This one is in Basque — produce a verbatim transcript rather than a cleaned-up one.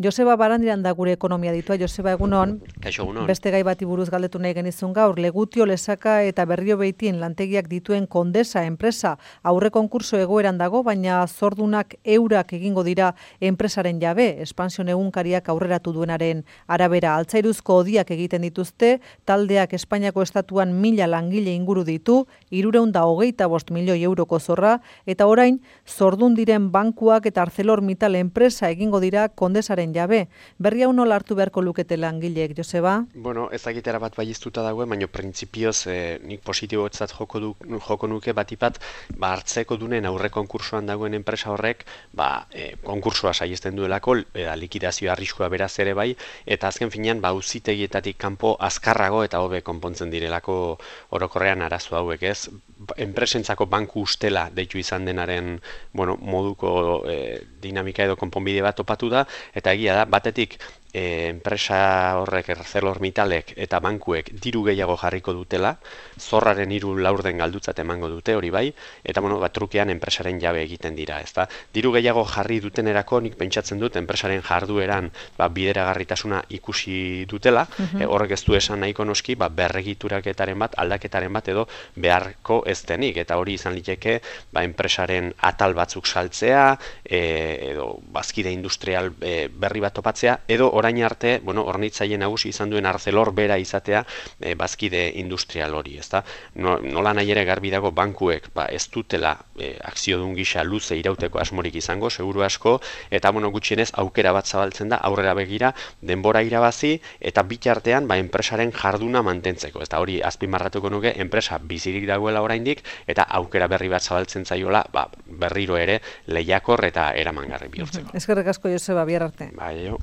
Joseba Barandiran da gure ekonomia ditua. Joseba, egunon. Kaixo, egunon. Beste gai bati buruz galdetu nahi genizun gaur. Legutio, Lesaka eta Berrio Beitin lantegiak dituen Kondesa enpresa aurre konkurso egoeran dago, baina zordunak eurak egingo dira enpresaren jabe. Espansion egunkariak aurreratu duenaren arabera. Altzairuzko odiak egiten dituzte, taldeak Espainiako estatuan mila langile inguru ditu, hirurehun eta hogeita bost milioi euroko zorra, eta orain zordun diren bankuak eta ArcelorMittal enpresa egingo dira Kondesaren jabe. Berri hau nola hartu beharko lukete langileek, Joseba? Bueno, ez dakitera bat baiiztuta dagoen, baina printzipioz eh, nik positibotzat joko, du, joko nuke batipat, ba, hartzeko dunen aurre konkursoan dagoen enpresa horrek, ba, eh, konkursoa saiesten duelako, eta likidazio arriskua beraz ere bai, eta azken finean, ba, auzitegietatik kanpo azkarrago eta hobe konpontzen direlako orokorrean arazo hauek, ez? Enpresentzako banku ustela deitu izan denaren, bueno, moduko eh, dinamika edo konponbide bat topatu da, eta egia da, batetik e, enpresa horrek ArcelorMittalek eta bankuek diru gehiago jarriko dutela, zorraren hiru laurden galdutzat emango dute hori bai, eta bueno, bat trukean enpresaren jabe egiten dira, ezta? Diru gehiago jarri dutenerako nik pentsatzen dut enpresaren jardueran ba, bideragarritasuna ikusi dutela, Mhm. e, horrek ez du esan nahiko noski, ba, berregituraketaren bat, aldaketaren bat edo beharko ez denik, eta hori izan liteke ba, enpresaren atal batzuk saltzea, e, edo bazkide industrial e, berri bat topatzea, edo orain arte, bueno, hornitzaile nagusi izan duen Arcelor bera izatea e, bazkide industrial hori, ezta? No, nola nahi ere garbi dago bankuek ba, ez dutela e, akziodun gisa luze irauteko asmorik izango, seguru asko, eta bueno, gutxienez aukera bat zabaltzen da aurrera begira denbora irabazi eta bitartean ba, enpresaren jarduna mantentzeko. Eta hori azpimarratuko nuke enpresa bizirik dagoela oraindik eta aukera berri bat zabaltzen zaiola ba, berriro ere lehiakor eta eramangarri bihurtzeko. Eskerrik asko, Joseba, bihar arte. Bai, jo.